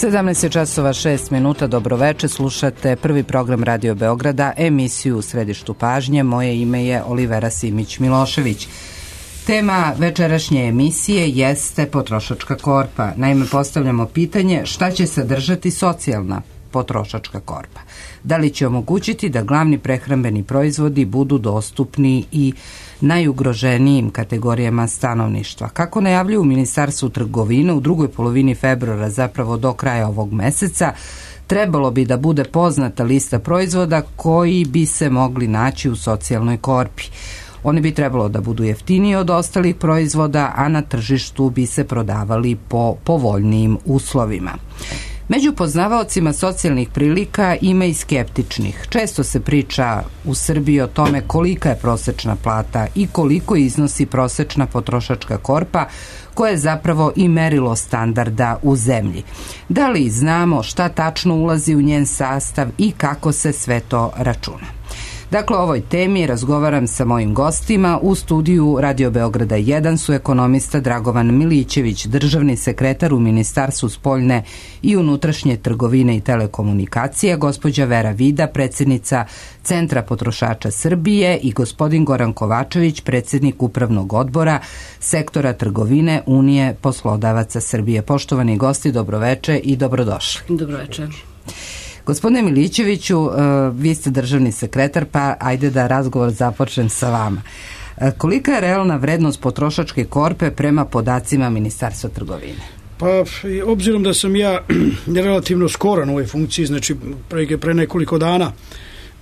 17 časova 6 minuta, dobroveče, slušate prvi program Radio Beograda, emisiju U središtu pažnje. Moje ime je Olivera Simić-Milošević. Tema večerašnje emisije jeste potrošačka korpa. Naime, postavljamo pitanje šta će sadržati socijalna potrošačka korpa. Da li će omogućiti da glavni prehrambeni proizvodi budu dostupni i najugroženijim kategorijama stanovništva? Kako najavljuju u Ministarstvu trgovine, u drugoj polovini februara, zapravo do kraja ovog meseca, trebalo bi da bude poznata lista proizvoda koji bi se mogli naći u socijalnoj korpi. Oni bi trebalo da budu jeftiniji od ostalih proizvoda, a na tržištu bi se prodavali po povoljnijim uslovima. Među poznavaocima socijalnih prilika ima i skeptičnih. Često se priča u Srbiji o tome kolika je prosečna plata i koliko iznosi prosečna potrošačka korpa, koja je zapravo i merilo standarda u zemlji. Da li znamo šta tačno ulazi u njen sastav i kako se sve to računa? Dakle, o ovoj temi razgovaram sa mojim gostima. U studiju Radio Beograda 1 su ekonomista Dragovan Milićević, državni sekretar u Ministarstvu spoljne i unutrašnje trgovine i telekomunikacije, gospođa Vera Vida, predsjednica Centra potrošača Srbije i gospodin Goran Kovačević, predsjednik Upravnog odbora Sektora trgovine Unije poslodavaca Srbije. Poštovani gosti, dobroveče i dobrodošli. Dobroveče. Gospodine Milićeviću, vi ste državni sekretar, pa ajde da razgovor započnem sa vama. Kolika je realna vrednost potrošačke korpe prema podacima Ministarstva trgovine? Pa, obzirom da sam ja relativno skoro na ovoj funkciji, znači pre nekoliko dana,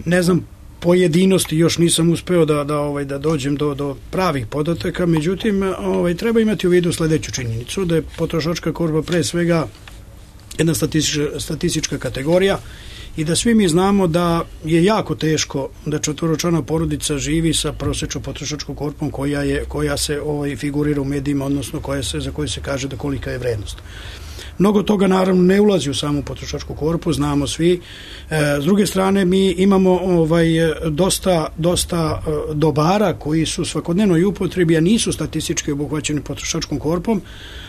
ne znam pojedinosti, još nisam uspeo da dođem do pravih podataka, međutim, treba imati u vidu sledeću činjenicu, da je potrošačka korpa pre svega jedna statistička kategorija i da svi mi znamo da je jako teško da četvoročlana porodica živi sa prosječnom potrošačkom korpom koja se figurira u medijima, odnosno za koju se kaže da kolika je vrednost. Mnogo toga naravno ne ulazi u samu potrošačku korpu, znamo svi. S druge strane, mi imamo dosta dobara koji su svakodnevno i upotrebi, a nisu statistički obuhvaćeni potrošačkom korpom,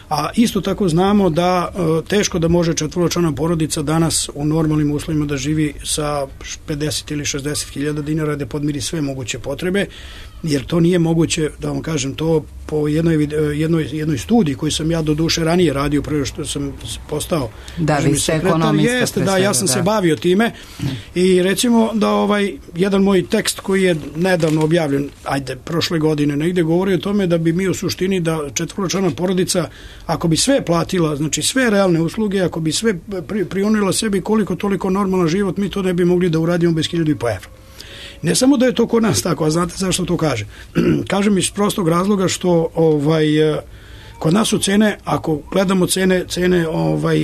a isto tako znamo da teško da može četvoročlana porodica danas u normalnim uslovima da živi sa 50 ili 60 hiljada dinara da podmiri sve moguće potrebe, jer to nije moguće, da vam kažem, to po jednoj studiji koju sam ja do duše ranije radio prije što sam postao državni sekretar. Da, ja sam se bavio time i recimo da jedan moj tekst koji je nedavno objavljen, prošle godine negde, govori o tome da bi mi u suštini da četvoročlana porodica, ako bi sve platila, znači sve realne usluge, ako bi sve prionila sebi koliko toliko normalan život, mi to ne bi mogli da uradimo bez 1.500 evra. Ne samo da je to kod nas tako, a znate zašto to kaže? Kažem iz prostog razloga što kod nas su cene, ako gledamo cene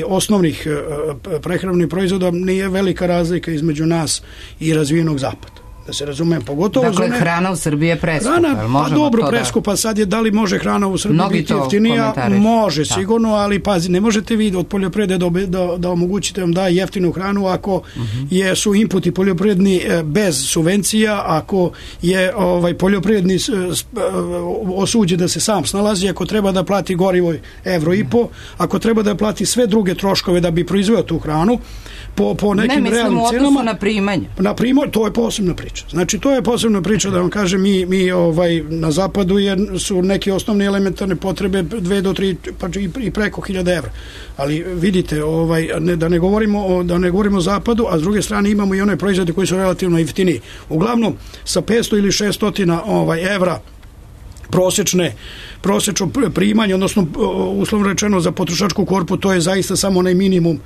osnovnih prehrambenih proizvoda, nije velika razlika između nas i razvijenog zapada. Da se razumem, pogotovo... Dakle, hrana u Srbiji je preskupa. Pa dobro, preskupa. Sad je, da li može hrana u Srbiji biti jeftinija? Može, sigurno, ali pazi, ne možete vi od poljoprivrede da omogućite vam da jeftinu hranu ako su inputi poljoprivredni bez subvencija, ako je poljoprivredni osuđen da se sam snalazi, ako treba da plati gorivo €1,5, ako treba da plati sve druge troškove da bi proizveo tu hranu, po nekim realnim cenama. Ne, mislim u odnosu na primanje. Na primanje, to je posebna priča. Znači, to je posebna priča, da vam kažem, mi na zapadu su neke osnovne elementarne potrebe 2 do 3, pa i preko 1.000 evra. Ali vidite, da ne govorimo o zapadu, a s druge strane imamo i one proizvode koji su relativno jeftiniji. Uglavnom, sa 500 ili 600 evra prosečno primanje, odnosno uslovno rečeno za potrošačku korpu, to je zaista samo onaj minimum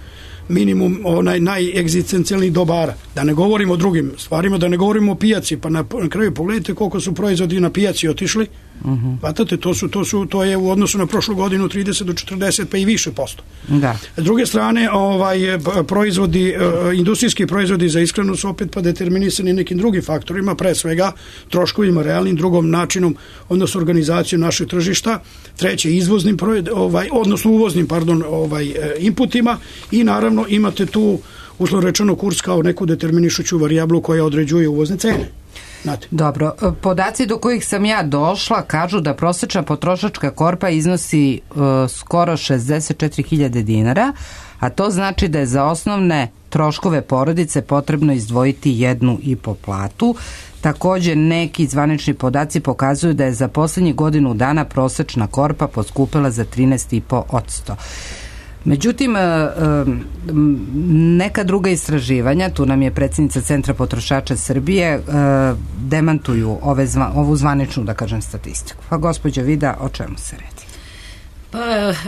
najegzistencijalnih dobara. Da ne govorimo o drugim stvarima, da ne govorimo o pijaci, pa na kraju pogledajte koliko su proizvodi na pijaci otišli. Vatate, to je u odnosu na prošlu godinu 30 do 40 pa i više posto. Da. S druge strane, proizvodi, industrijski proizvodi za ishranu su opet pa determinisani nekim drugim faktorima, pre svega troškovima realnim, drugom načinom, odnosno organizacijom našeg tržišta, treće izvoznim uvoznim inputima i naravno imate tu uslovno rečeno kurs kao neku determinišuću varijablu koja određuje uvozne cene. Dobro, podaci do kojih sam ja došla kažu da prosečna potrošačka korpa iznosi skoro 64.000 dinara, a to znači da je za osnovne troškove porodice potrebno izdvojiti 1,5 platu. Takođe, neki zvanični podaci pokazuju da je za poslednjih godinu dana prosečna korpa poskupela za 13,5%. Međutim, neka druga istraživanja, tu nam je predsjednica Centra potrošača Srbije, demantuju ovu zvaničnu, da kažem, statistiku. Pa gospođa Vida, o čemu se radi? Pa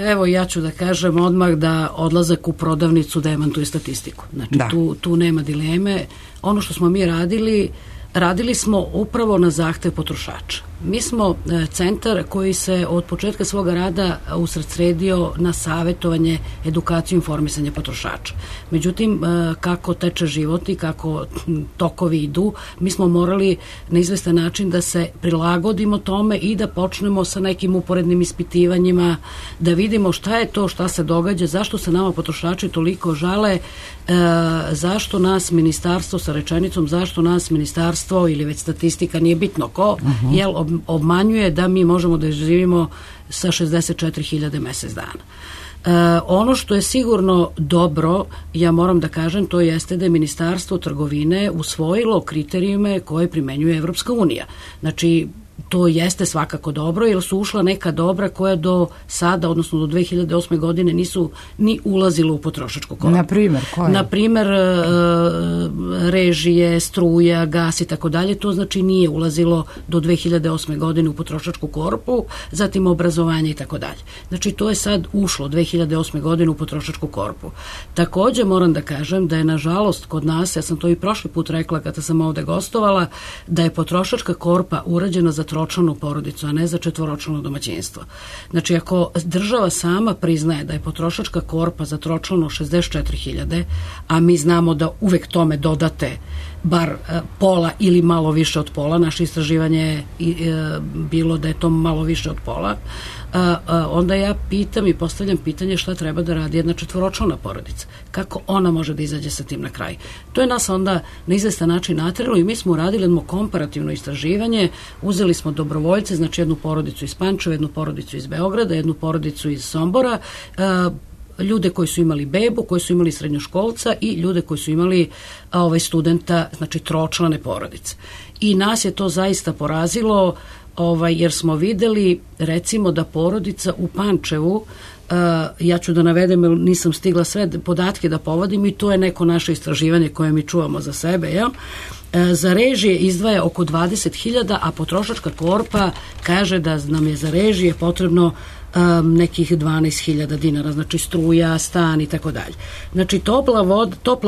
evo, ja ću da kažem odmah da odlazak u prodavnicu demantuje statistiku. Znači, tu nema dileme. Ono što smo mi radili smo upravo na zahtev potrošača. Mi smo centar koji se od početka svoga rada usredsredio na savjetovanje, edukaciju i informisanje potrošača. Međutim, kako teče život i kako tokovi idu, mi smo morali na izvestan način da se prilagodimo tome i da počnemo sa nekim uporednim ispitivanjima, da vidimo šta je to, šta se događa, zašto se nama potrošači toliko žale, zašto nas ministarstvo sa rečenicom, zašto nas ministarstvo ili već statistika, nije bitno ko, jel obmanjuje da mi možemo da živimo sa 64.000 mesec dana. Ono što je sigurno dobro, ja moram da kažem, to jeste da je Ministarstvo trgovine usvojilo kriterijume koje primenjuje Evropska unija. Znači, to jeste svakako dobro, jer su ušla neka dobra koja do sada, odnosno do 2008. godine nisu ni ulazilo u potrošačku korpu. Naprimjer, koje? Naprimjer, režije, struja, gas i tako dalje, to znači nije ulazilo do 2008. godine u potrošačku korpu, zatim obrazovanje i tako dalje. Znači, to je sad ušlo 2008. godine u potrošačku korpu. Takođe, moram da kažem da je, nažalost, kod nas, ja sam to i prošli put rekla kada sam ovde gostovala, da je potrošačka korpa urađena za tročlanu porodicu, a ne za četvoročlano domaćinstvo. Znači, ako država sama priznaje da je potrošačka korpa za tročlano 64.000, a mi znamo da uvek tome dodate bar pola ili malo više od pola, naše istraživanje je bilo da je to malo više od pola, onda ja pitam i postavljam pitanje šta treba da radi jedna četvoročlana porodica. Kako ona može da izađe sa tim na kraj? To je nas onda na izvestan način nateralo i mi smo uradili jedno komparativno istraživanje, uzeli smo dobrovoljce, znači jednu porodicu iz Pančeva, jednu porodicu iz Beograda, jednu porodicu iz Sombora, ljude koji su imali bebu, koji su imali srednjoškolca i ljude koji su imali studenta, znači tročlane porodice. I nas je to zaista porazilo, jer smo videli, recimo, da porodica u Pančevu, ja ću da navedem, jer nisam stigla sve podatke da povodim i to je neko naše istraživanje koje mi čuvamo za sebe, jel? Za režije izdvaja oko 20.000, a potrošačka korpa kaže da nam je za režije potrebno nekih 12.000 dinara, znači struja, stan i tako dalje. Znači, topla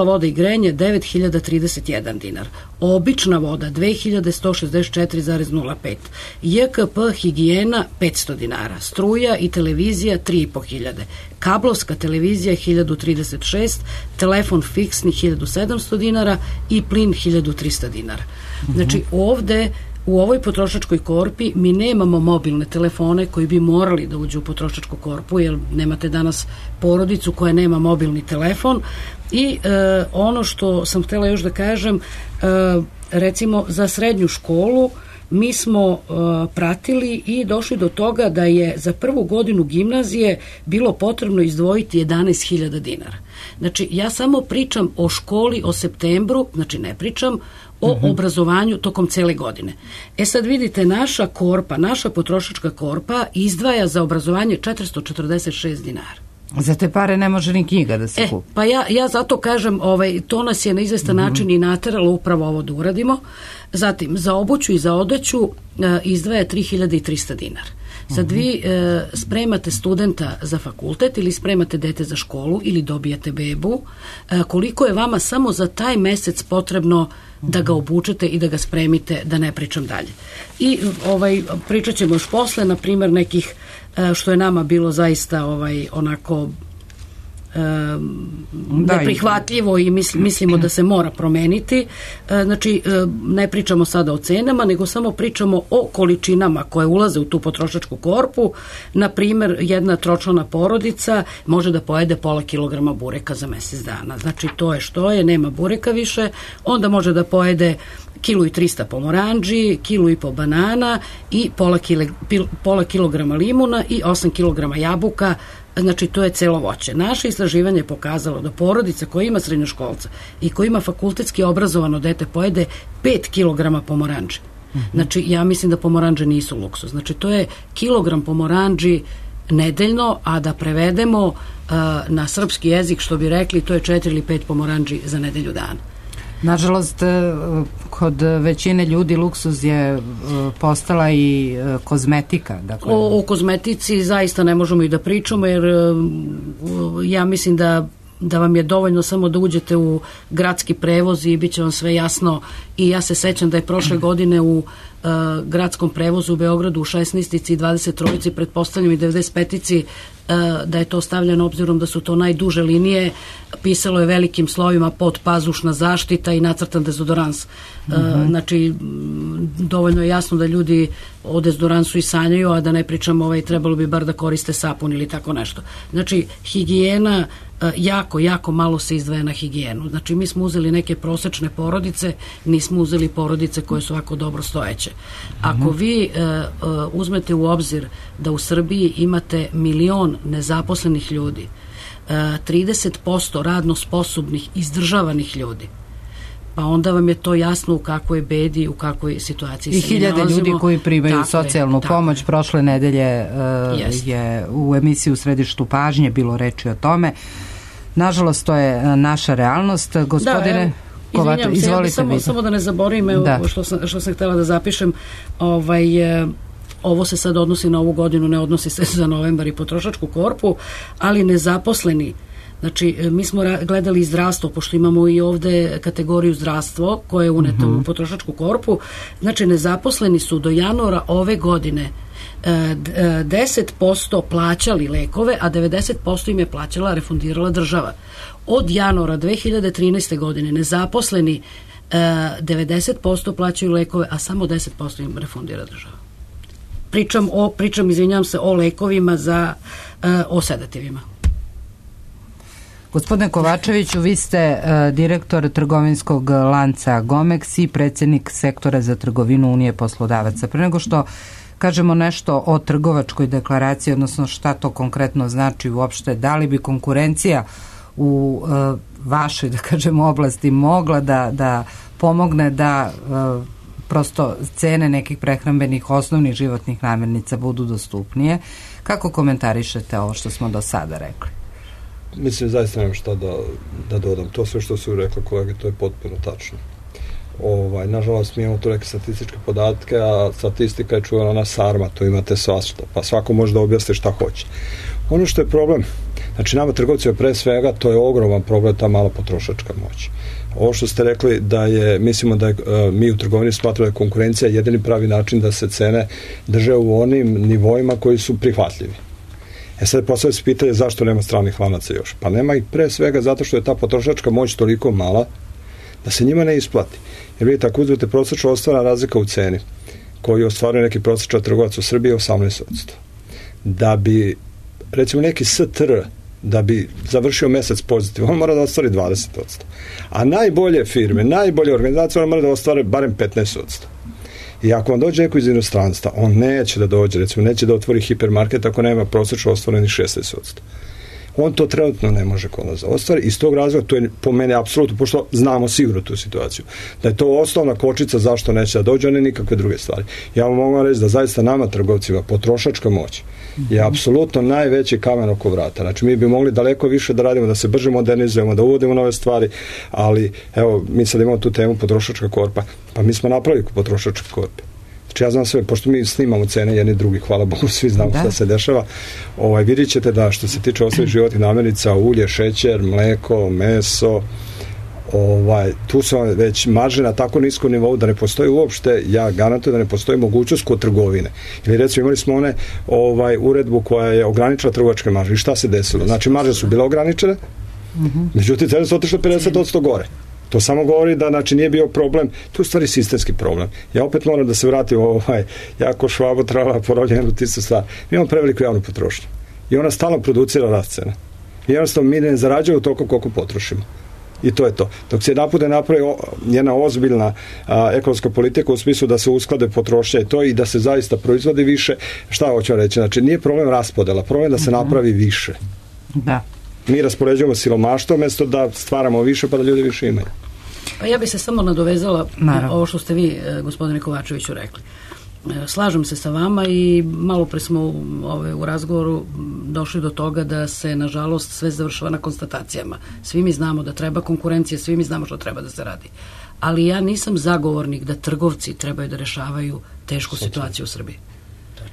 voda i grejanje 9.031 dinar, obična voda 2.164,05, JKP higijena 500 dinara, struja i televizija 3.500, kablovska televizija 1.036, telefon fiksni 1.700 dinara i plin 1.300 dinara. Znači, ovde u ovoj potrošačkoj korpi mi nemamo mobilne telefone koji bi morali da uđu u potrošačku korpu, jer nemate danas porodicu koja nema mobilni telefon. I ono što sam htjela još da kažem, recimo za srednju školu mi smo pratili i došli do toga da je za prvu godinu gimnazije bilo potrebno izdvojiti 11.000 dinara. Znači, ja samo pričam o školi, o septembru, znači ne pričam o obrazovanju tokom cele godine. Sad vidite, naša korpa, naša potrošačka korpa izdvaja za obrazovanje 446 dinara. Za te pare ne može ni knjiga da se kupi. Pa ja zato kažem, to nas je na izvestan način i nateralo upravo ovo da uradimo. Zatim, za obuću i za odeću izdvaja 3.300 dinara. Sad vi spremate studenta za fakultet ili spremate dete za školu ili dobijate bebu, koliko je vama samo za taj mesec potrebno da ga obučete i da ga spremite, da ne pričam dalje. I pričat ćemo još posle, na primjer, nekih što je nama bilo zaista onako neprihvatljivo i mislimo da se mora promeniti. Znači, ne pričamo sada o cenama, nego samo pričamo o količinama koje ulaze u tu potrošačku korpu. Na primjer, jedna tročlana porodica može da pojede pola kilograma bureka za mesec dana. Znači, to je što je, nema bureka više. Onda može da pojede 1.300 pomoranđi, 1.5 banana i pola kilograma limuna i 8 kilograma jabuka znači to je celo voće. Naše istraživanje je pokazalo da porodica koja ima srednjoškolca i koja ima fakultetski obrazovano dete pojede 5 kilograma pomoranđe. Znači, ja mislim da pomoranđe nisu luksuz. Znači, to je kilogram pomoranđi nedeljno, a da prevedemo na srpski jezik, što bi rekli, to je 4 ili 5 pomoranđi za nedelju dana. Nažalost, kod većine ljudi luksuz je postala i kozmetika. Dakle. O kozmetici zaista ne možemo i da pričamo, jer ja mislim da vam je dovoljno samo da uđete u gradski prevoz i bit će vam sve jasno. I ja se sećam da je prošle godine u gradskom prevozu u Beogradu u 16-ici i 23-ici, pretpostavljam i 95-ici, da je to stavljeno obzirom da su to najduže linije, pisalo je velikim slovima podpazušna zaštita i nacrtan dezodorans. Znači, dovoljno je jasno da ljudi o dezodoransu i sanjaju, a da ne pričamo trebalo bi bar da koriste sapun ili tako nešto. Znači, higijena jako malo se izdvaja na higijenu. Znači, mi smo uzeli neke prosečne porodice, nismo uzeli porodice koje su ovako dobro stojeće. Ako vi uzmete u obzir da u Srbiji imate 1 milion nezaposlenih ljudi, 30% radno sposobnih, izdržavanih ljudi, pa onda vam je to jasno u kakvoj bedi, u kakvoj situaciji se nalazimo. I 1000 ljudi koji primaju socijalnu pomoć. Prošle nedelje je u emisiji U središtu pažnje bilo reči o tome. Nažalost, to je naša realnost. Gospodine Kovačević, izvolite vi. Samo da ne zaboravim, što sam htjela da zapišem, ovo se sad odnosi na ovu godinu, ne odnosi se za novembar i potrošačku korpu, ali nezaposleni. Znači, mi smo gledali zdravstvo, pošto imamo i ovde kategoriju zdravstvo koje je uneto u potrošačku korpu. Znači, nezaposleni su do januara ove godine 10% plaćali lekove, a 90% im je plaćala, refundirala država. Od januara 2013. godine nezaposleni 90% plaćaju lekove, a samo 10% im refundira država. Pričam, izvinjam se, o lekovima o sedativima. Gospodine Kovačeviću, vi ste direktor trgovinskog lanca Gomex i predsjednik sektora za trgovinu Unije poslodavaca. Pre nego što kažemo nešto o trgovačkoj deklaraciji, odnosno šta to konkretno znači uopšte, da li bi konkurencija u vašoj, da kažemo, oblasti mogla da pomogne da prosto cene nekih prehrambenih osnovnih životnih namirnica budu dostupnije. Kako komentarišete ovo što smo do sada rekli? Mislim, zaista nemam šta da dodam. To sve što su rekli kolege, to je potpuno tačno. Nažalost, mi imamo tu neke statističke podatke, a statistika je čuvena na sarma, to imate svašta, pa svako može da objasni šta hoće. Ono što je problem, znači nama trgovcima pre svega, to je ogroman problem, ta mala potrošačka moć. Ovo što ste rekli mislimo da mi u trgovini smatramo da je konkurencija jedini pravi način da se cene drže u onim nivoima koji su prihvatljivi. Sad postavlja se pitanje zašto nema stranih lanaca još. Pa nema ih pre svega zato što je ta potrošačka moć toliko mala da se njima ne isplati. Jer vidite, ako uzmete prosječno ostvarena razlika u ceni koju ostvaruje neki prosječan trgovac u Srbiji je 18%. Da bi, recimo, neki STR da bi završio mesec pozitivno, on mora da ostvari 20%. A najbolje firme, najbolje organizacije, on mora da ostvare barem 15%. I ako vam dođe neko iz inostranstva, on neće da dođe, recimo, neće da otvori hipermarket ako nema prosječno ostvarenih 16%. On to trenutno ne može kod nas ostvari. Iz tog razloga, to je po mene apsolutno, pošto znamo sigurno tu situaciju, da je to osnovna kočica zašto neće da dođe, a ne nikakve druge stvari. Ja vam mogu reći da zaista nama trgovcima potrošačka moć je apsolutno najveći kamen oko vrata. Znači, mi bi mogli daleko više da radimo, da se brže modernizujemo, da uvodimo nove stvari, ali evo, mi sad imamo tu temu potrošačka korpa, pa mi smo napravili potrošačke korpe. Znači, ja znam sve, pošto mi snimamo cene jedni drugi, hvala Bogu, svi znamo šta se dešava. Vidjet ćete da što se tiče osnovnih životnih namirnica, ulje, šećer, mleko, meso, tu su već marže na tako niskom nivou da ne postoji uopšte, ja garantujem da ne postoji mogućnost kod trgovine. Ili recimo imali smo uredbu koja je ograničila trgovačke marže. I šta se desilo? Znači, marže su bile ograničene, međutim, cene su otišle 50% gore. To samo govori da, znači, nije bio problem, to je u stvari sistemski problem. Ja opet moram da se vratim jako Švabo trala porovljenu tistu stvar. Mi imamo preveliku javnu potrošnju i ona stalno producira rast cena. I jednostavno mi ne zarađujemo toliko koliko potrošimo. I to je to. Dok se napude napravi jedna ozbiljna ekonomska politika u smislu da se usklade potrošnja i to i da se zaista proizvodi više, šta hoću reći? Znači, nije problem raspodela, problem da se napravi više. Da. Mi raspoređujemo siromaštvo umjesto da stvaramo više pa da ljudi više imaju. Pa ja bi se samo nadovezala na ovo što ste vi, gospodine Kovačeviću, rekli. Slažem se sa vama i malo pre smo u razgovoru došli do toga da se, nažalost, sve završava na konstatacijama. Svi mi znamo da treba konkurencija, svi mi znamo što treba da se radi. Ali ja nisam zagovornik da trgovci trebaju da rešavaju tešku situaciju u Srbiji.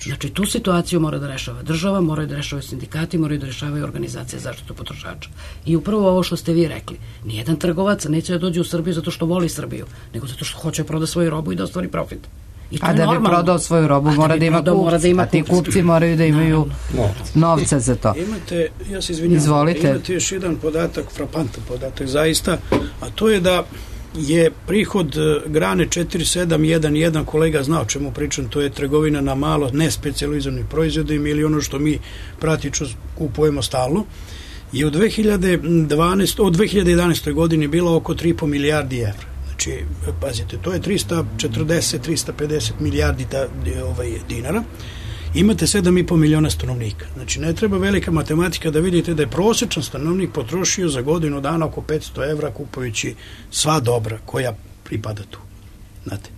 Znači, tu situaciju mora da rešava država, moraju da rešavaju sindikati, moraju da rešavaju organizacije za zaštitu potrošača. I upravo ovo što ste vi rekli, nijedan trgovac neće da dođe u Srbiju zato što voli Srbiju, nego zato što hoće proda svoju robu i da ostvari profit. A da bi prodao svoju robu mora da ima kupci, a ti kupci moraju da imaju novca za to. Imate, ja se izvinjam, izvolite. Imate još jedan podatak, frapantan podatak zaista, a to je da je prihod grane 4711, kolega zna o čemu pričam, to je trgovina na malo, ne specijalizovanih proizvodima ili ono što mi praktično kupujemo stalno, je od 2011. godini bilo oko 3,5 milijardi evra. Znači, pazite, to je 340-350 milijardi dinara. Imate 7,5 miliona stanovnika. Znači, ne treba velika matematika da vidite da je prosječan stanovnik potrošio za godinu dana oko 500 evra kupujući sva dobra koja pripada tu. Znate,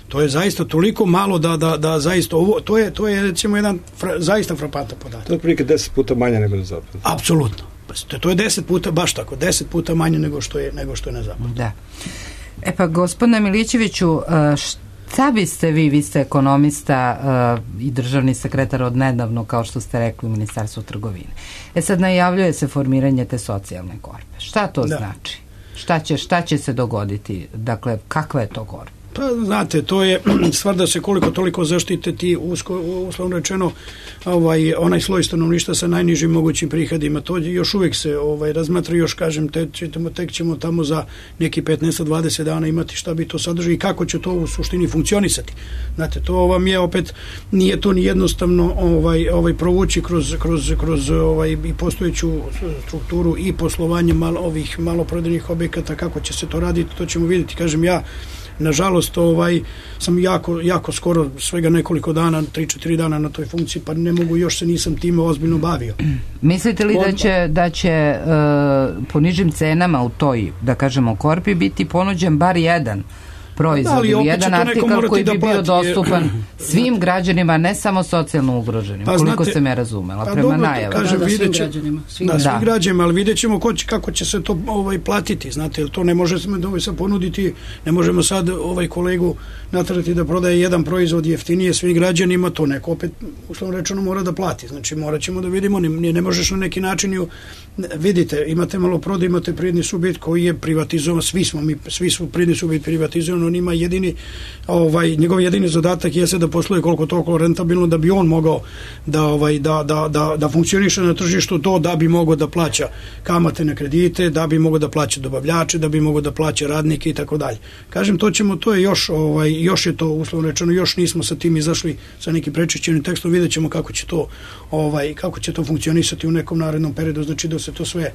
to je zaista toliko malo da zaista ovo, to je recimo jedan zaista frapantan podatak. To je prilike 10 puta manje nego na zapadu. Apsolutno. To je 10 puta, baš tako, 10 puta manje nego što je na zapadu. Da. E pa, gospodine Milićeviću, šta biste vi ste ekonomista i državni sekretar od nedavno, kao što ste rekli, u Ministarstvu trgovine. Sad najavljuje se formiranje te socijalne korpe. Šta to znači? Šta će se dogoditi? Dakle, kakva je to korpa? Pa, znate, to je stvar da se koliko toliko zaštite ti, uslovno rečeno, onaj sloj stanovništva sa najnižim mogućim prihodima. To još uvijek se razmatra, još kažem, tek ćemo tamo za neki 15-20 dana imati šta bi to sadrži i kako će to u suštini funkcionisati. Znate, to vam je opet, nije to ni jednostavno provući kroz i postojeću strukturu i poslovanje ovih maloprodajnih objekata, kako će se to raditi, to ćemo vidjeti. Kažem, ja nažalost, sam jako skoro, svega nekoliko dana, 3-4 dana na toj funkciji, pa ne mogu, još se nisam time ozbiljno bavio. Mislite li da će po nižim cenama u toj, da kažemo, korpi biti ponuđen bar jedan proizvod ili jedan artikal koji bi bio dostupan svim građanima, ne samo socijalno ugroženim, koliko sam ja razumela, prema najavama. Svim građanima. Svim građanima, ali vidjet ćemo kako će se to platiti, znate, jer to ne možemo sad ponuditi, ne možemo sad kolegu natrati da prodaje jedan proizvod jeftinije svim građanima, to neko opet, uslovno rečeno, mora da plati. Znači, morat ćemo da vidimo, ne možeš na neki način, vidite, imate malo prodaj, imate privredni subjekt koji je privatizovan, svi su privredni subjekt privatizovan, on ima njegov jedini zadatak jeste da posluje koliko toliko rentabilno da bi on mogao da funkcioniše na tržištu, to da bi mogao da plaća kamate na kredite, da bi mogao da plaća dobavljače, da bi mogao da plaća radnike i tako dalje. Kažem, to je još je to, uslovno rečeno, još nismo sa tim izašli sa nekim prečišćenim tekstom, vidjet ćemo kako će to funkcionisati u nekom narednom periodu, znači da se to sve,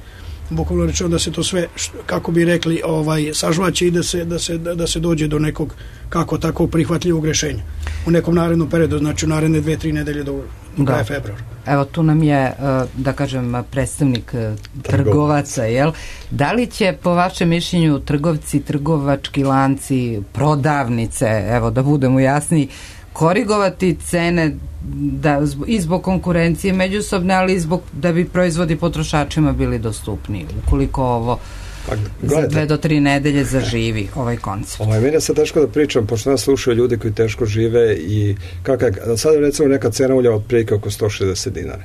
bukvalno rečeno, da se to sve, kako bi rekli, sažvaće i da se dođe do nekog kako tako prihvatljivog rješenja u nekom narednom periodu, znači u naredne 2-3 nedelje do kraja februara. Evo, tu nam je, da kažem, predstavnik trgovaca, jel? Da li će, po vašem mišljenju, trgovci, trgovački lanci, prodavnice, evo, da budemo jasni, korigovati cene i zbog konkurencije međusobne, ali i zbog da bi proizvodi potrošačima bili dostupni, ukoliko ovo za 2 do 3 nedelje zaživi ovaj koncept. Meni je sad teško da pričam, pošto nas slušaju ljudi koji teško žive i sad recimo neka cena ulja otprilike oko 160 dinara.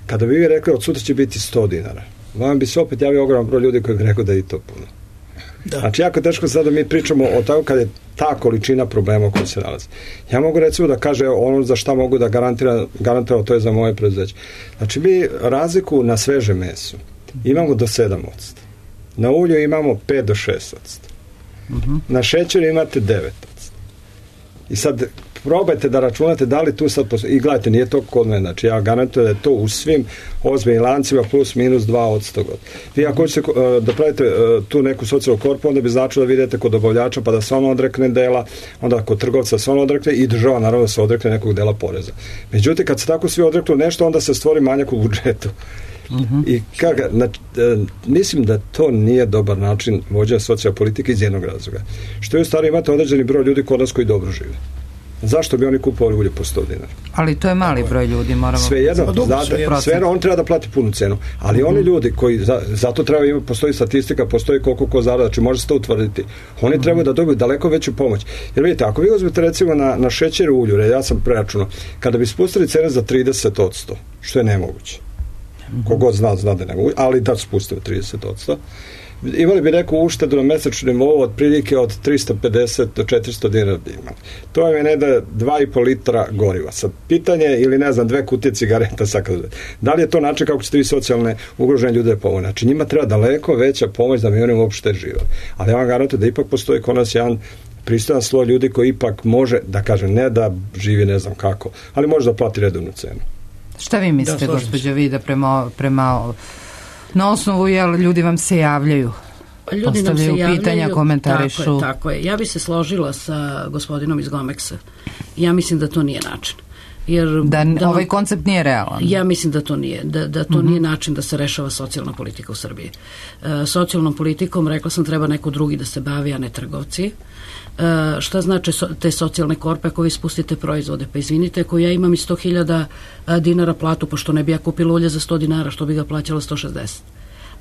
Kada bi vi rekli od sutra će biti 100 dinara, vam bi se opet javio ogroman broj ljudi koji bi rekao da je i to puno. Da. Znači, jako teško sad da mi pričamo o tako kad je ta količina problema u kojoj se nalazi. Ja mogu recimo da kaže ono za šta mogu da garantiram, to je za moje preduzeće. Znači, mi razliku na sveže meso imamo do 7%. Na ulju imamo 5 do 6%. Na šećeru imate 9%. I sad probajte da računate da li tu sad postoji, i gledajte, nije to kod mene, znači ja garantujem da je to u svim ozbiljnim lancima plus minus 2%. Vi ako hoćete da pravite tu neku socijalnu korpu, onda bi značilo da vidite kod dobavljača pa da se on odrekne dela, onda kod trgovca se on odrekne i država naravno da se odrekne nekog dela poreza. Međutim, kad se tako svi odreknu nešto, onda se stvori manjak u budžetu. I mislim da to nije dobar način vođenja socijalne politike iz jednog razloga. Što je u stvari imate određeni broj ljudi kod nas koji dobro žive. Zašto bi oni kupovali ulje po 100 dinara? Ali to je mali broj ljudi, moramo... Svejedno, on treba da plati punu cenu. Ali oni ljudi koji, zato treba imati, postoji statistika, postoji koliko ko zarada, znači može se to utvrditi. Oni trebaju da dobiju daleko veću pomoć. Jer vidite, ako vi uzmete recimo na šećer u ulju, ja sam preračunao, kada bi spustili cene za 30%, što je nemoguće. Kogod zna da je nemoguće, ali da spustili 30%, imali bi neku uštedu na mesečnom nivou otprilike od 350 do 400 dinara. To vam je ne da 2,5 litra goriva. Sad pitanje, ili ne znam, 2 kutije cigareta. Da li je to način kako ćete vi socijalne ugrožene ljude pomoći? Znači njima treba daleko veća pomoć da bi oni uopšte živali. Ali ja vam garantujem da ipak postoji kod nas jedan pristojan sloj ljudi koji ipak može, da kažem, ne da živi ne znam kako, ali može da plati redovnu cenu. Šta vi mislite, gospođo Vida, prema na osnovu, jel, ljudi vam se javljaju? Ljudi nam se javljaju, pitanja, komentarišu. Tako je. Ja bi se složila sa gospodinom iz Gomeksa. Ja mislim da to nije način. Jer ovaj koncept nije realan. Ja mislim da to nije. Da to nije način da se rešava socijalna politika u Srbiji. Socijalnom politikom, rekla sam, treba neko drugi da se bavi, a ne trgovci. Šta znači te socijalne korpe ako vi spustite proizvode? Pa izvinite, ako ja imam i 100.000 dinara platu, pošto ne bi ja kupila ulje za 100 dinara, što bi ga plaćala 160.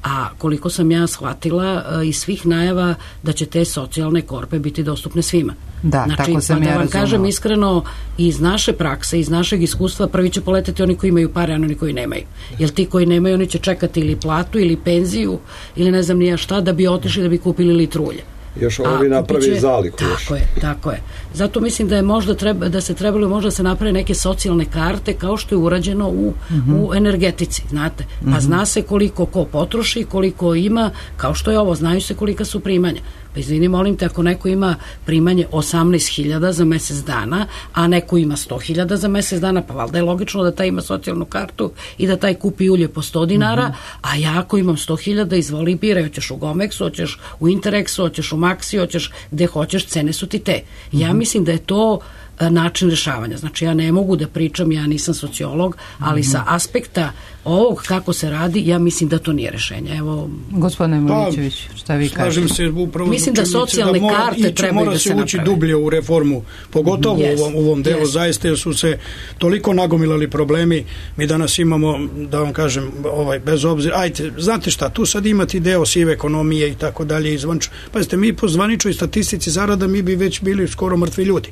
A koliko sam ja shvatila iz svih najava da će te socijalne korpe biti dostupne svima. Da, znači, tako sam ja razumela. Da vam kažem iskreno, iz naše prakse, iz našeg iskustva, prvi će poleteti oni koji imaju pare, a oni koji nemaju. Jer ti koji nemaju, oni će čekati ili platu, ili penziju, ili ne znam nija šta, da bi otišli da bi kupili litru ulja. Još ovi napravi zaliku. Tako je. Zato mislim da je možda da se trebalo možda se naprave neke socijalne karte kao što je urađeno u energetici, znate. Pa zna se koliko ko potroši, koliko ima, kao što je ovo, znaju se kolika su primanja. Pa izvini, molim te, ako neko ima primanje 18.000 za mesec dana, a neko ima 100.000 za mesec dana, pa valjda je logično da taj ima socijalnu kartu i da taj kupi ulje po 100 dinara, a ja ako imam 100.000, izvoli i biraj, hoćeš u Gomexu, hoćeš u Interexu, hoćeš u Maxi, hoćeš gde hoćeš, cene su ti te. Ja mislim da je to način rešavanja. Znači ja ne mogu da pričam, ja nisam sociolog, ali sa aspekta ovog kako se radi, ja mislim da to nije rešenje. Evo, gospodine Milićević, šta vi kažete? Slažem se upravo. Mislim da socijalne karte trebaju da se naprave. Mora se ući dublje u reformu, pogotovo u ovom delu, zaista su se toliko nagomilali problemi. Mi danas imamo, da vam kažem, bez obzira, ajte, znate šta, tu sad imate deo sive ekonomije i tako dalje izvančno. Pazite, mi po zvaničnoj statistici zarada mi bi već bili skoro mrtvi ljudi.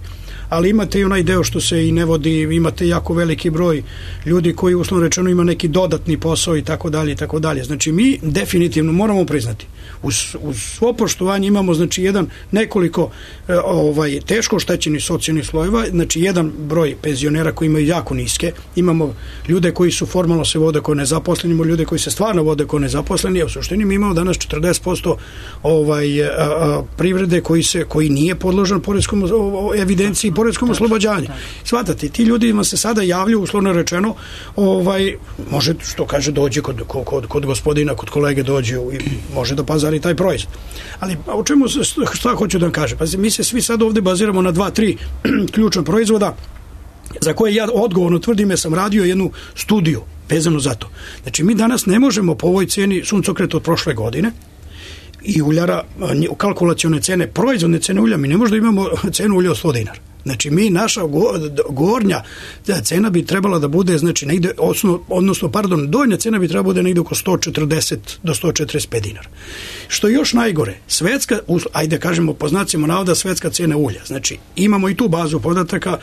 Ali imate i onaj deo što se i ne vodi, imate jako veliki broj ljudi koji uslovno rečeno ima neki dodatni posao i tako dalje i tako dalje. Znači mi definitivno moramo priznati uz svo poštovanje imamo znači nekoliko teško oštećenih socijalnih slojeva, znači jedan broj penzionera koji imaju jako niske, imamo ljude koji su formalno se vode kao nezaposleni, imamo ljude koji se stvarno vode kao nezaposleni, a u suštini mi imamo danas 40% privrede koji nije podložan poreskom evidenciji, poreskom oslobađanju. Svatate, ti ljudima se sada javljaju, uslovno rečeno, može, što kaže, dođe kod gospodina, kod kolege dođe i može da pazari taj proizvod. Ali o čemu, šta hoću da vam kažem? Pa mi se svi sad ovde baziramo na 2-3 ključna proizvoda za koje ja odgovorno tvrdim, ja sam radio jednu studiju vezano za to. Znači mi danas ne možemo po ovoj ceni suncokreta od prošle godine i uljara, kalkulacione cene, proizvodne cene ulja, mi ne možemo da imamo cenu ulja od 100 dinara. Znači mi, naša gornja cena bi trebala da bude, znači negde, donja cena bi trebala da bude negde oko 140 do 145 dinara. Što je još najgore, svetska, ajde kažemo po znacima navoda, svetska cena ulja. Znači imamo i tu bazu podataka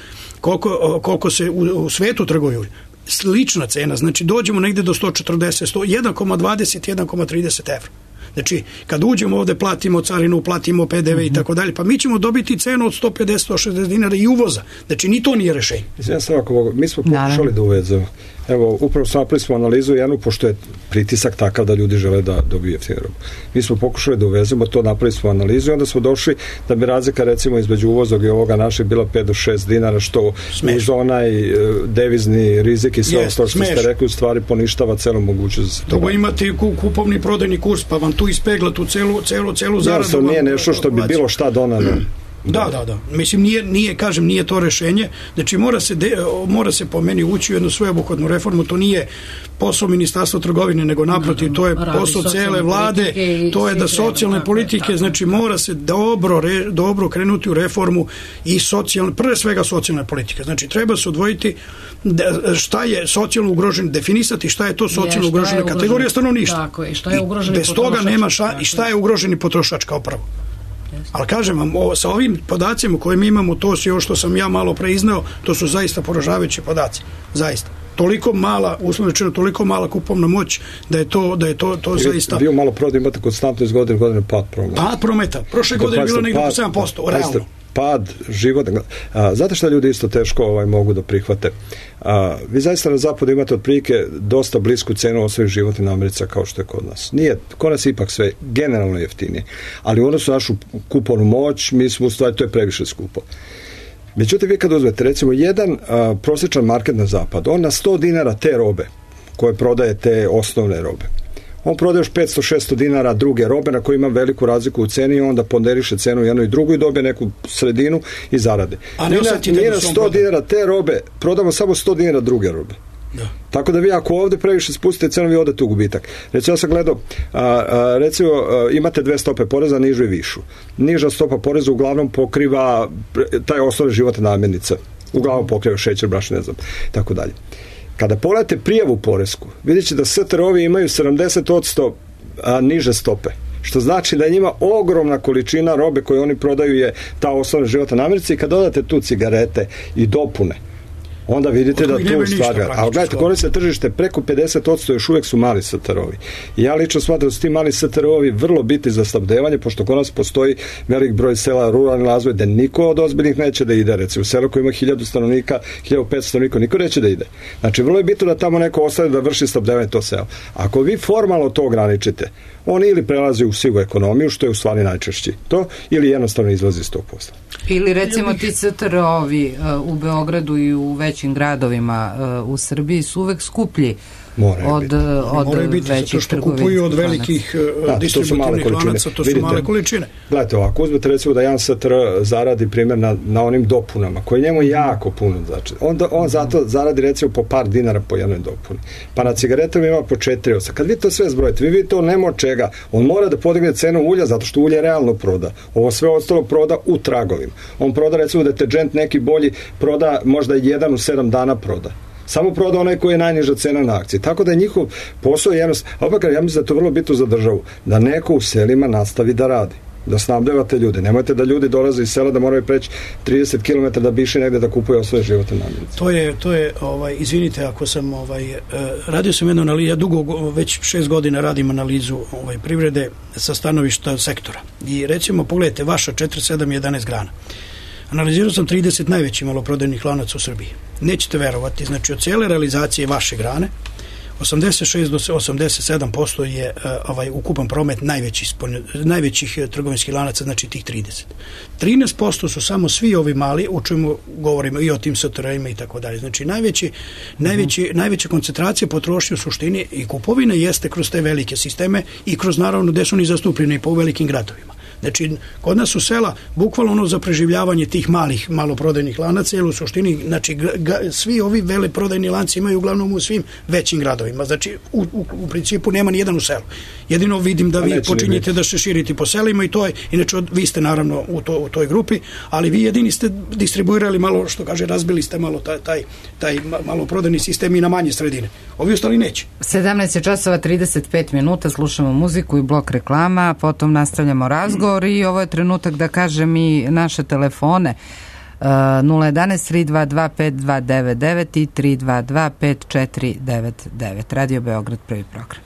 koliko se u svetu trguje ulja. Slična cena, znači dođemo negde do 140, 1,20, 1,30 evra. Znači, kad uđemo ovde, platimo carinu, platimo PDV i tako dalje, pa mi ćemo dobiti cenu od 150-160 dinara i uvoza. Znači, ni to nije rešenje. Mi smo pokušali da uvezemo. Evo, upravo napravili smo analizu jednu, pošto je pritisak takav da ljudi žele da dobiju jeftinu robu. Mi smo pokušali da uvezemo to, napravili smo analizu i onda smo došli da bi razlika recimo između uvozog i ovoga našeg bila 5 do 6 dinara, što uz onaj devizni rizik i sve ostalo što ste rekli, u stvari poništava celu mogućnost da se to. Drugo, imate kupovni prodajni kurs, pa vam tu ispegla tu celu zaradu. To nije nešto što bi bilo šta donalo. Da. Mislim, nije to rešenje. Znači, mora se po meni ući u jednu sveobuhvatnu reformu. To nije posao Ministarstva trgovine, nego naprotiv, to je posao cele vlade, to je da socijalne politike, znači mora se dobro krenuti u reformu i pre svega socijalne politike. Znači, treba se odvojiti šta je socijalno ugrožen, definisati šta je to socijalno ugrožena kategorija stanovništva. Tako je, šta je ugroženi potrošač. Bez toga nema i šta je ugroženi potrošač kao prvo. Ali kažem vam, sa ovim podacima koje mi imamo, to je što sam ja malo pre izneo, to su zaista poražavajući podaci. Zaista. Toliko mala, uslovno rečeno, toliko mala kupovna moć da je to zaista... Vi malo prodaju imate konstantno iz godine pad prometa. Pad prometa. Prošle godine je bilo negdje po 7%, realno. Pad života. Znate šta ljudi isto teško mogu da prihvate? Vi zaista na zapadu imate otprilike dosta blisku cenu osnovnih životnih namirnica kao što je kod nas. Nije, kod nas ipak sve generalno jeftinije. Ali u odnosu na našu kupovnu moć, mi smo u stvari, to je previše skupo. Međutim, vi kad uzmete, recimo, jedan prosječan market na zapadu, on na 100 dinara te robe, koje prodaje te osnovne robe, on prodaje još 500-600 dinara druge robe na koje ima veliku razliku u ceni i onda ponderiše cenu jednu i drugu i dobije neku sredinu i zarade. Mi na 100 dinara te robe prodamo samo 100 dinara druge robe. Da. Tako da vi ako ovdje previše spustite cenu, vi odete u gubitak. Recimo, ja sam gledao, recimo imate dve stope poreza, nižu i višu. Niža stopa poreza uglavnom pokriva taj osnovne životne namirnice. Uglavnom pokriva šećer, brašno, ne znam, tako dalje. Kada pogledate prijavu poresku, vidjet ćete da STR-ovi imaju 70% niže stope. Što znači da njima ogromna količina robe koju oni prodaju je ta osnovna životna namirnica i kad dodate tu cigarete i dopune, onda vidite da tu stvari. Ali gledajte, koriste tržište preko 50%, još uvijek su mali STR-ovi. I ja lično smatram da su ti mali STR-ovi vrlo bitni za snabdevanje, pošto kod nas postoji velik broj sela, ruralni razvoj, da niko od ozbiljnih neće da ide. Recimo, u selu koji ima 1000 stanovnika, 1500 stanovnika, niko neće da ide. Znači, vrlo je bitno da tamo neko ostane da vrši snabdevanje to selo. Ako vi formalno to ograničite, on ili prelazi u sivu ekonomiju, što je u stvari najčešći to, ili jednostavno izlazi iz tog posla. Ili recimo ti STR-ovi u Beogradu i u većim gradovima u Srbiji su uvek skuplji od većih trgovinskih kupuju od velikih distributivnih lanaca, to su male količine. Gledajte, ovako uzmete recimo da jedan STR zaradi primjer na onim dopunama, koji njemu jako puno znači. On zato zaradi recimo po par dinara po jednoj dopuni. Pa na cigaretama ima po 4,8. Kad vi to sve zbrojite, vi vidite on nema od čega. On mora da podigne cenu ulja zato što ulje realno proda. Ovo sve ostalo proda u tragovima. On proda recimo deterđent neki bolji, proda možda 1 u 7 dana proda. Samo proda onaj koji je najniža cena na akciji. Tako da je njihov posao jednostavno, opak, ja mislim da je to vrlo bitno za državu, da neko u selima nastavi da radi, da snabdevate ljude. Nemojte da ljudi dolaze iz sela da moraju preći 30 km da bi išli negde da kupuje osvoje životne namirnice. To je izvinite ako sam radio sam jednu analizu, ja dugo, već 6 godina radim analizu privrede sa stanovišta sektora. I recimo, pogledajte, vaša 4, 7, 11 grana. Analizirao sam 30 najvećih maloprodajnih lanaca u Srbiji. Nećete verovati, znači od cijele realizacije vaše grane 86 do 87% je ukupan promet najvećih trgovinskih lanaca, znači tih 30. 13% su samo svi ovi mali, o čemu govorimo i o tim STR-ima i tako dalje. Znači najveća koncentracija potrošnje u suštini i kupovine jeste kroz te velike sisteme i kroz naravno gde su oni zastupljeni po velikim gradovima. Znači, kod nas su sela bukvalno za preživljavanje tih maloprodajnih lanaca, jer u suštini, znači, svi ovi veleprodajni lanci imaju uglavnom u svim većim gradovima. Znači, u principu nema ni jedan u selu. Jedino vidim da vi počinjete da se širiti po selima i to je, inače, vi ste naravno u toj grupi, ali vi jedini ste distribuirali malo, što kaže, razbili ste malo taj maloprodajni sistem i na manje sredine. Ovi ostali neće. 17:35, slušamo muziku i blok reklama, potom nastavljamo razgovor. I ovo je trenutak da kažem i naše telefone 011 322 5299 i 322 5499. Radio Beograd, prvi program.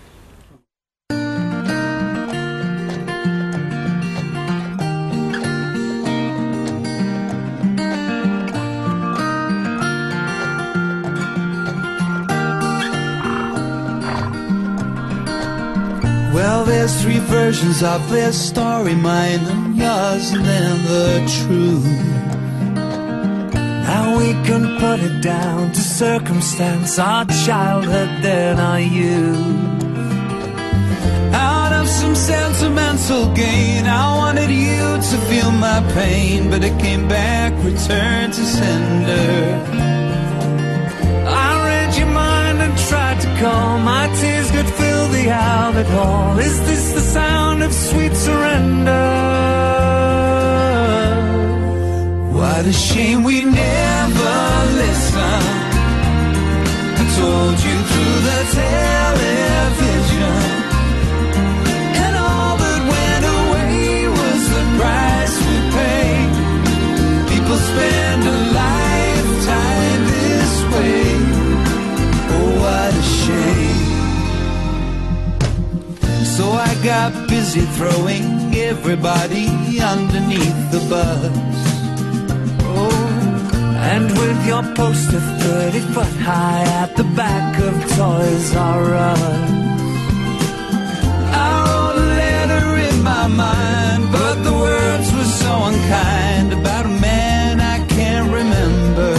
there's three versions of their story, mine and yours, and then the truth. Now we can put it down to circumstance, our childhood, then our youth. Out of some sentimental gain, I wanted you to feel my pain, but it came back, returned to sender. I read your mind and tried to calm, my tears could fill the Albert Hall. Is this the sound of sweet surrender? What a shame we never listened. I told you through the television, and all that went away was the price we paid. People spend a lifetime this way. Oh, what a shame. So I got busy throwing everybody underneath the bus. And with your poster 30 foot high at the back of Toys R Us, I wrote a letter in my mind, but the words were so unkind, about a man I can't remember.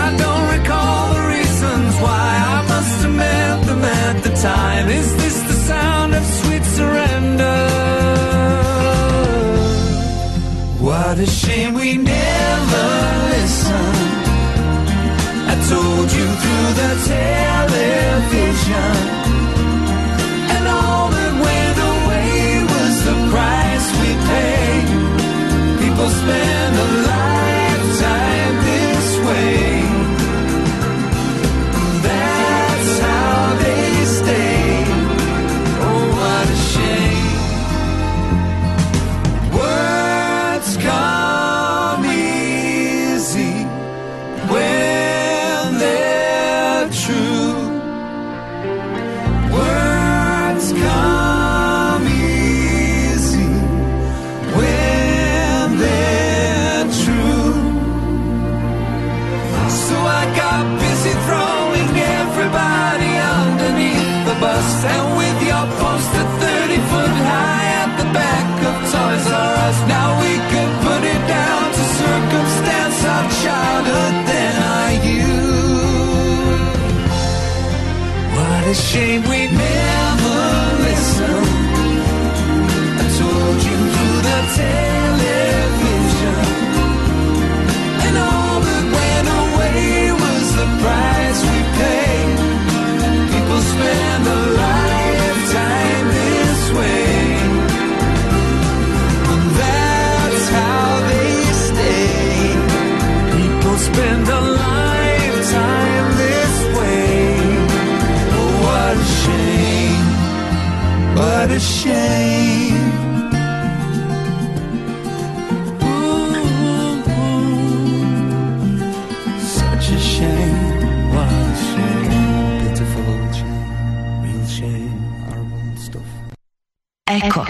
I don't recall the reasons why, I must have met them at the time. Is this the sound of sweet surrender? What a shame we never listened. I told you through the television, and all that went away was the price we paid. People spend a lifetime this way. That's how they stay. Oh, what a shame. Come easy when they're true. Words come easy when they're true. So I got busy throwing everybody underneath the bus, and with your poster 30 foot high at the back of Toys R Us, now we can put it down to circumstance, our childhood, then our youth. What a shame we never listened. I told you through the television, and all that went away was the price we paid. People spend a lifetime this way. Spend a lifetime this way. Oh, what a shame, what a shame. Ooh, such a shame, what a shame. Pitiful shame, real shame, horrible stuff. Ecco.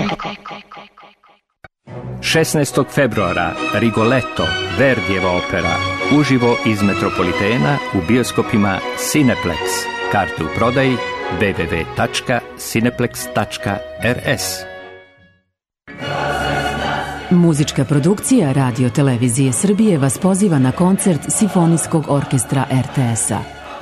16. februara Rigoletto, Verdijeva opera, uživo iz Metropolitena u bioskopima Cineplex. Karte u prodaji www.cineplex.rs. Muzička produkcija Radio Televizije Srbije vas poziva na koncert Simfonijskog orkestra RTS-a.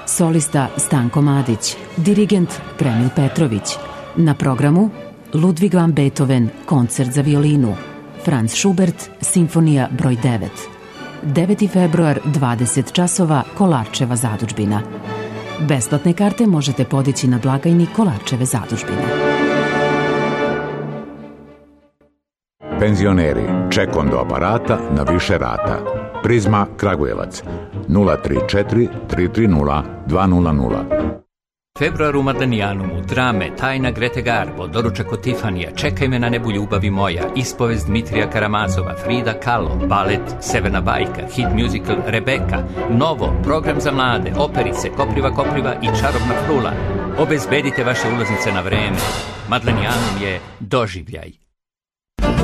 Solista Stanko Madić, dirigent Premil Petrović. Na programu Ludwig van Beethoven, koncert za violinu. Franz Schubert, Simfonija broj 9. 9. februar, 20 časova, Kolarčeva zadužbina. Besplatne karte možete podići na blagajni Kolarčeve zadužbine. Penzioneri, ček do aparata na više rata. Prizma Kragujevac 034 330 200. Februar u Madanijanumu, drame, Tajna Grete Garbo, doručak od Tifanija, Čekaj me na nebu ljubavi moja, ispovest Dmitrija Karamazova, Frida Kahlo, balet Severna bajka, hit musical Rebeka, Novo, program za mlade, operice, Kopriva i Čarobna frula. Obezbedite vaše ulaznice na vreme. Madanijanum je doživljaj.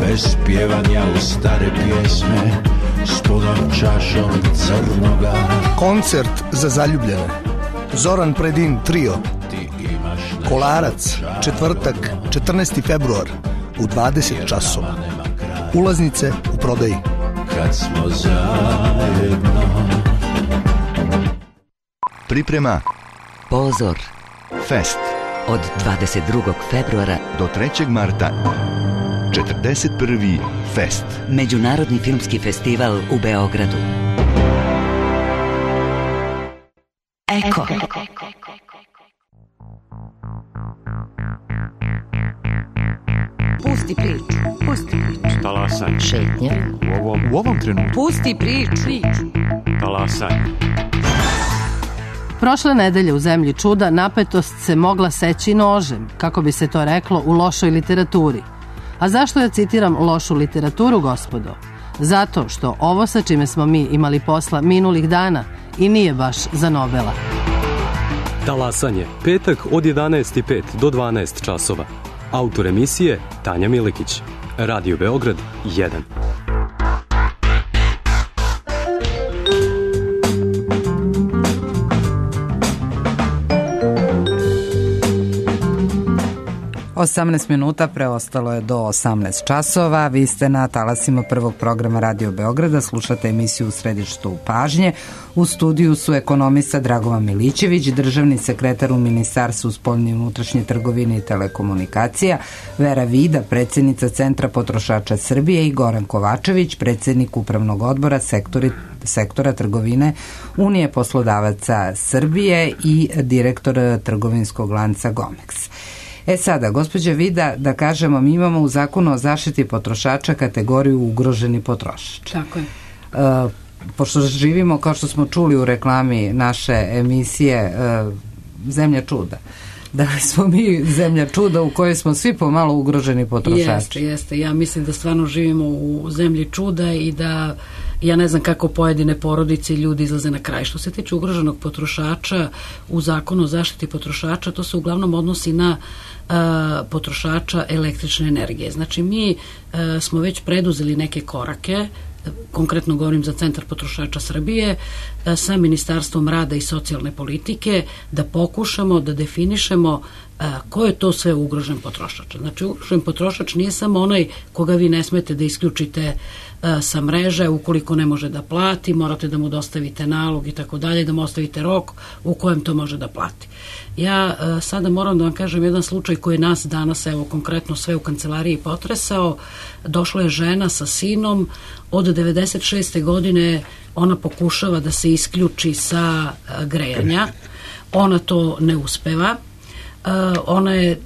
Bez pjevanja u stare pjesme, s punom čašom crnoga. Koncert za zaljubljene. Zoran Predin trio. Ti imaš Kolarac, četvrtak, 14. februar u 20 časova. Ulaznice u prodaji. Kad smo zajedno. Priprema Pozor Fest od 22. februara do 3. marta. 41. Fest. Međunarodni filmski festival u Beogradu. Eko. Pusti priču. Pusti priču. Talasanje. Šetnja. U ovom trenutku. Pusti priču. Talasanje. Prošle nedelje u Zemlji čuda napetost se mogla seći nožem, kako bi se to reklo u lošoj literaturi. A zašto ja citiram lošu literaturu, gospodo? Zato što ovo sa čime smo mi imali posla minulih dana i nije baš za Nobela. Talasanje, petak od 11:05 do 12 časova. Autor emisije Tanja Milikić. Radio Beograd 1. 18 minuta preostalo je do 18 časova. Vi ste na talasima prvog programa Radio Beograda, slušate emisiju U središtu pažnje. U studiju su ekonomista Dragovan Milićević, državni sekretar u Ministarstvu spoljne i unutrašnje trgovine i telekomunikacija, Vera Vida, predsjednica Centra potrošača Srbije i Goran Kovačević, predsjednik Upravnog odbora sektora trgovine Unije poslodavaca Srbije i direktor trgovinskog lanca Gomex. Sada, gospođa Vida, da kažemo, mi imamo u Zakonu o zaštiti potrošača kategoriju ugroženi potrošač. Tako je. Pošto živimo, kao što smo čuli u reklami naše emisije, Zemlja čuda. Da li smo mi zemlja čuda u kojoj smo svi pomalo ugroženi potrošači? Jeste. Ja mislim da stvarno živimo u zemlji čuda i da ja ne znam kako pojedine porodice i ljudi izlaze na kraj. Što se tiče ugroženog potrošača u Zakonu o zaštiti potrošača, to se uglavnom odnosi na potrošača električne energije. Znači mi smo već preduzeli neke korake, konkretno govorim za Centar potrošača Srbije, sa Ministarstvom rada i socijalne politike, da pokušamo da definišemo ko je to sve ugrožen potrošač. Znači ugrožen potrošač nije samo onaj koga vi ne smete da isključite sa mreže ukoliko ne može da plati, morate da mu dostavite nalog i tako dalje, da mu ostavite rok u kojem to može da plati. Ja sada moram da vam kažem jedan slučaj koji je nas danas, evo konkretno sve u kancelariji potresao. Došla je žena sa sinom, od 96. godine ona pokušava da se isključi sa grejanja, ona to ne uspeva.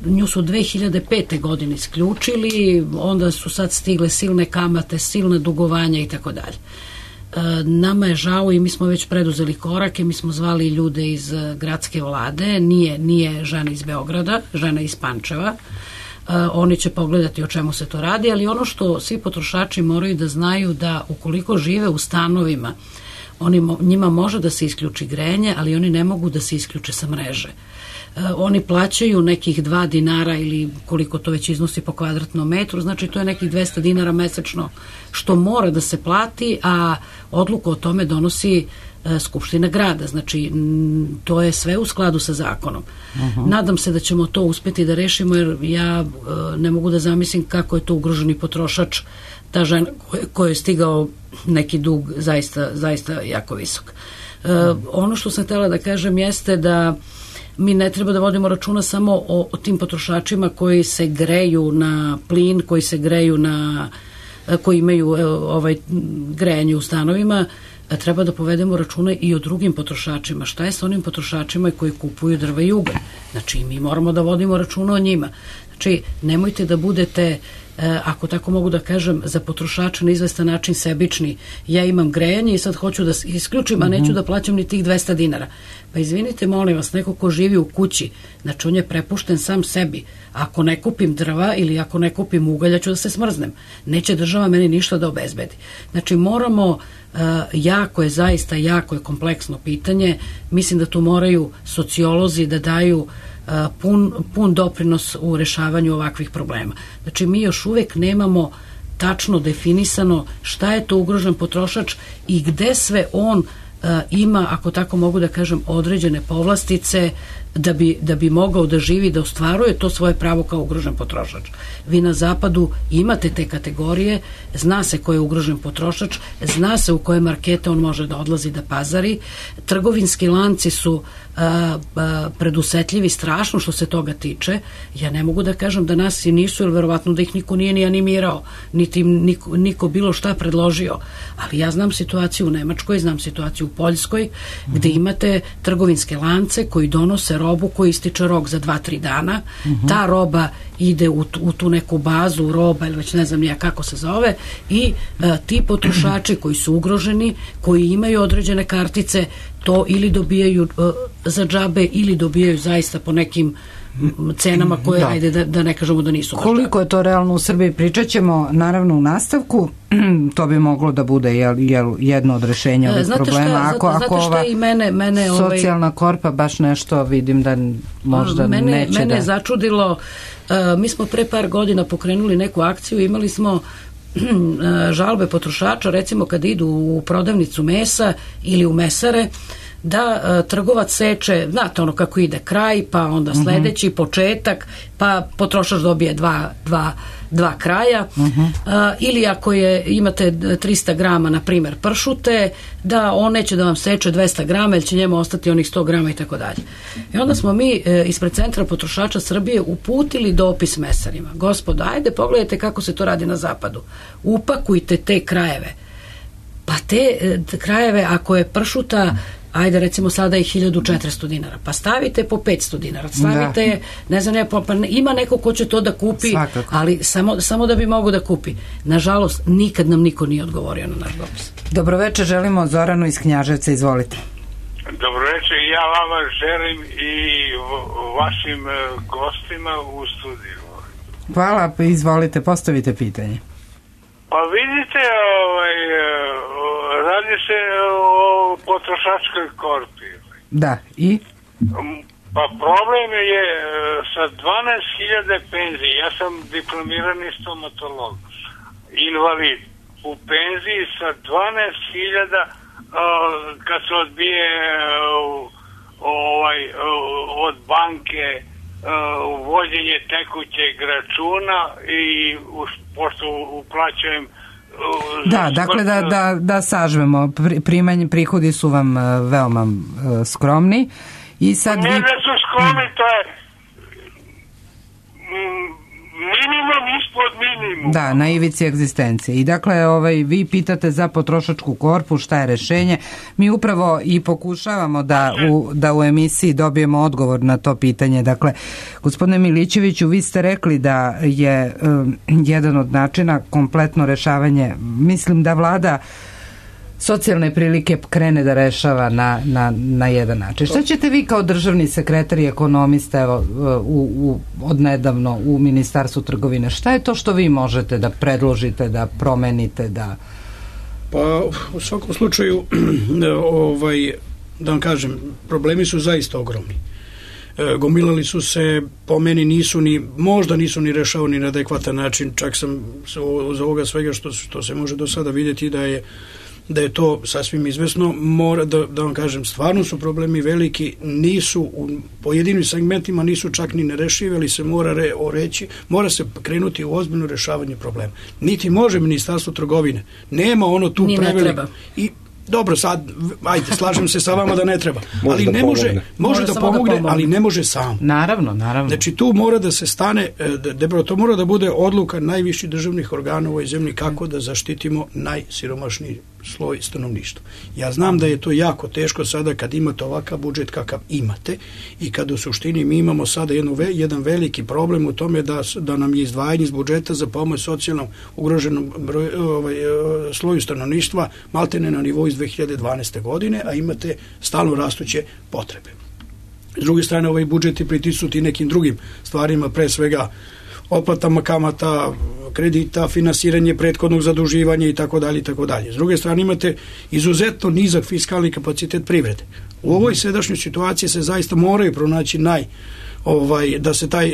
Nju su 2005. godine isključili, onda su sad stigle silne kamate, silne dugovanja i tako dalje. Nama je žao i mi smo već preduzeli korake, mi smo zvali ljude iz gradske vlade, nije žena iz Beograda, žena iz Pančeva. Oni će pogledati o čemu se to radi, ali ono što svi potrošači moraju da znaju da ukoliko žive u stanovima, njima može da se isključi grejanje, ali oni ne mogu da se isključe sa mreže. Oni plaćaju nekih 2 dinara ili koliko to već iznosi po kvadratnom metru, znači to je nekih 200 dinara mesečno što mora da se plati, a odluku o tome donosi Skupština grada, znači to je sve u skladu sa zakonom. Nadam se da ćemo to uspeti da rešimo, jer ja ne mogu da zamislim kako je to ugroženi potrošač, ta žena koja je stigao neki dug zaista jako visok. Ono što sam htjela da kažem jeste da mi ne treba da vodimo računa samo o tim potrošačima koji se greju na plin, koji se greju koji imaju grejanje u stanovima, treba da povedemo računa i o drugim potrošačima. Šta je sa onim potrošačima koji kupuju drva i ugalj? Znači, mi moramo da vodimo računa o njima. Znači, nemojte da budete, ako tako mogu da kažem, za potrošača na izvestan način sebični. Ja imam grejanje i sad hoću da isključim, a neću da plaćam ni tih 200 dinara. Pa izvinite, molim vas, neko ko živi u kući, znači on je prepušten sam sebi. Ako ne kupim drva ili ako ne kupim ugalja, ću da se smrznem. Neće država meni ništa da obezbedi. Znači, moramo, jako je kompleksno pitanje. Mislim da tu moraju sociolozi da daju pun doprinos u rešavanju ovakvih problema. Znači, mi još uvek nemamo tačno definisano šta je to ugrožen potrošač i gde sve on ima, ako tako mogu da kažem, određene povlastice da bi mogao da živi, da ostvaruje to svoje pravo kao ugrožen potrošač. Vi na zapadu imate te kategorije, zna se ko je ugrožen potrošač, zna se u koje markete on može da odlazi da pazari. Trgovinski lanci su predusetljivi strašno što se toga tiče. Ja ne mogu da kažem da nas i nisu, jer verovatno da ih niko nije ni animirao, niti niko bilo šta predložio. Ali ja znam situaciju u Nemačkoj, znam situaciju u Poljskoj, gde imate trgovinske lance koji donose robu koji ističe rok za 2-3 dana. Ta roba ide u tu neku bazu roba ili već ne znam nija kako se zove i ti potrošači koji su ugroženi, koji imaju određene kartice, to ili dobijaju za džabe ili dobijaju zaista po nekim cenama koje, ajde da ne kažemo da nisu. Koliko je to realno u Srbiji, pričat ćemo naravno u nastavku. To bi moglo da bude jedno od rešenja ovih problema. Znate šta i mene socijalna korpa baš nešto vidim da možda neće da... Mene začudilo, mi smo pre par godina pokrenuli neku akciju, imali smo žalbe potrošača, recimo kada idu u prodavnicu mesa ili u mesare, da trgovac seče, znate ono kako ide kraj, pa onda sledeći početak, pa potrošač dobije dva kraja, ili ako imate 300 grama, na primer pršute, da on neće da vam seče 200 grama, jer će njemu ostati onih 100 grama i tako dalje. I onda smo mi ispred Centra potrošača Srbije uputili dopis mesarima. Gospodo, ajde pogledajte kako se to radi na zapadu. Upakujte te krajeve. Pa te krajeve, ako je pršuta, ajde recimo sada je 1400 dinara, pa stavite po 500 dinara, stavite, ne znam, pa ima neko ko će to da kupi, ali samo da bi mogo da kupi. Nažalost, nikad nam niko nije odgovorio na naš dopis. Dobroveče, želimo Zoranu iz Knjaževca, izvolite. Dobroveče, ja vama želim i vašim gostima u studiju. Hvala, izvolite, postavite pitanje. Pa vidite, radi se o potrošačkoj korpi. Da, i? Pa problem je sa 12.000 penzije. Ja sam diplomirani stomatolog, invalid. U penziji sa 12.000 kad se odbije od banke uvođenje tekućeg računa i pošto uplaćujem dakle da sažvemo, prihodi su vam veoma skromni i sad ne da su skromni, to je minimum ispod minimum. Da, na ivici egzistencije. I dakle, vi pitate za potrošačku korpu šta je rešenje. Mi upravo i pokušavamo da u emisiji dobijemo odgovor na to pitanje. Dakle, gospodine Milićeviću, vi ste rekli da je jedan od načina kompletno rešavanje, mislim da vlada socijalne prilike krene da rešava na jedan način. Šta ćete vi kao državni sekretar i ekonomista, evo, odnedavno u Ministarstvu trgovine, šta je to što vi možete da predložite, da promenite, da... Pa u svakom slučaju da vam kažem, problemi su zaista ogromni. Gomilali su se, po meni možda nisu ni rešavani na adekvatan način, čak sam za ovoga svega što se može do sada vidjeti da je to sasvim izvesno, mora da vam kažem, stvarno su problemi veliki, nisu u pojedinim segmentima nisu čak ni nerešivi, ali se mora se krenuti u ozbiljno rešavanje problema. Niti može Ministarstvo trgovine, nema ono tu preveliko. I dobro, sad, ajde, slažem se sa vama da ne treba, ali ne može da pomogne, ali ne može sam. Naravno. Znači, tu mora da se stane, to mora da bude odluka najviših državnih organa u ovoj zemlji kako da zaštitimo najsiromašniji sloj stanovništva. Ja znam da je to jako teško sada kad imate ovakav budžet kakav imate i kad u suštini mi imamo sada jedan veliki problem u tome da nam je izdvajanje iz budžeta za pomoć socijalnom ugroženom sloju stanovništva maltene na nivou iz 2012. godine, a imate stalno rastuće potrebe. S druge strane, ovaj budžet je pritisnuti nekim drugim stvarima, pre svega otplatama kamata, kredita, finansiranje prethodnog zaduživanja i tako dalje i tako dalje. S druge strane, imate izuzetno nizak fiskalni kapacitet privrede. U ovoj sadašnjoj situaciji se zaista moraju pronaći da se taj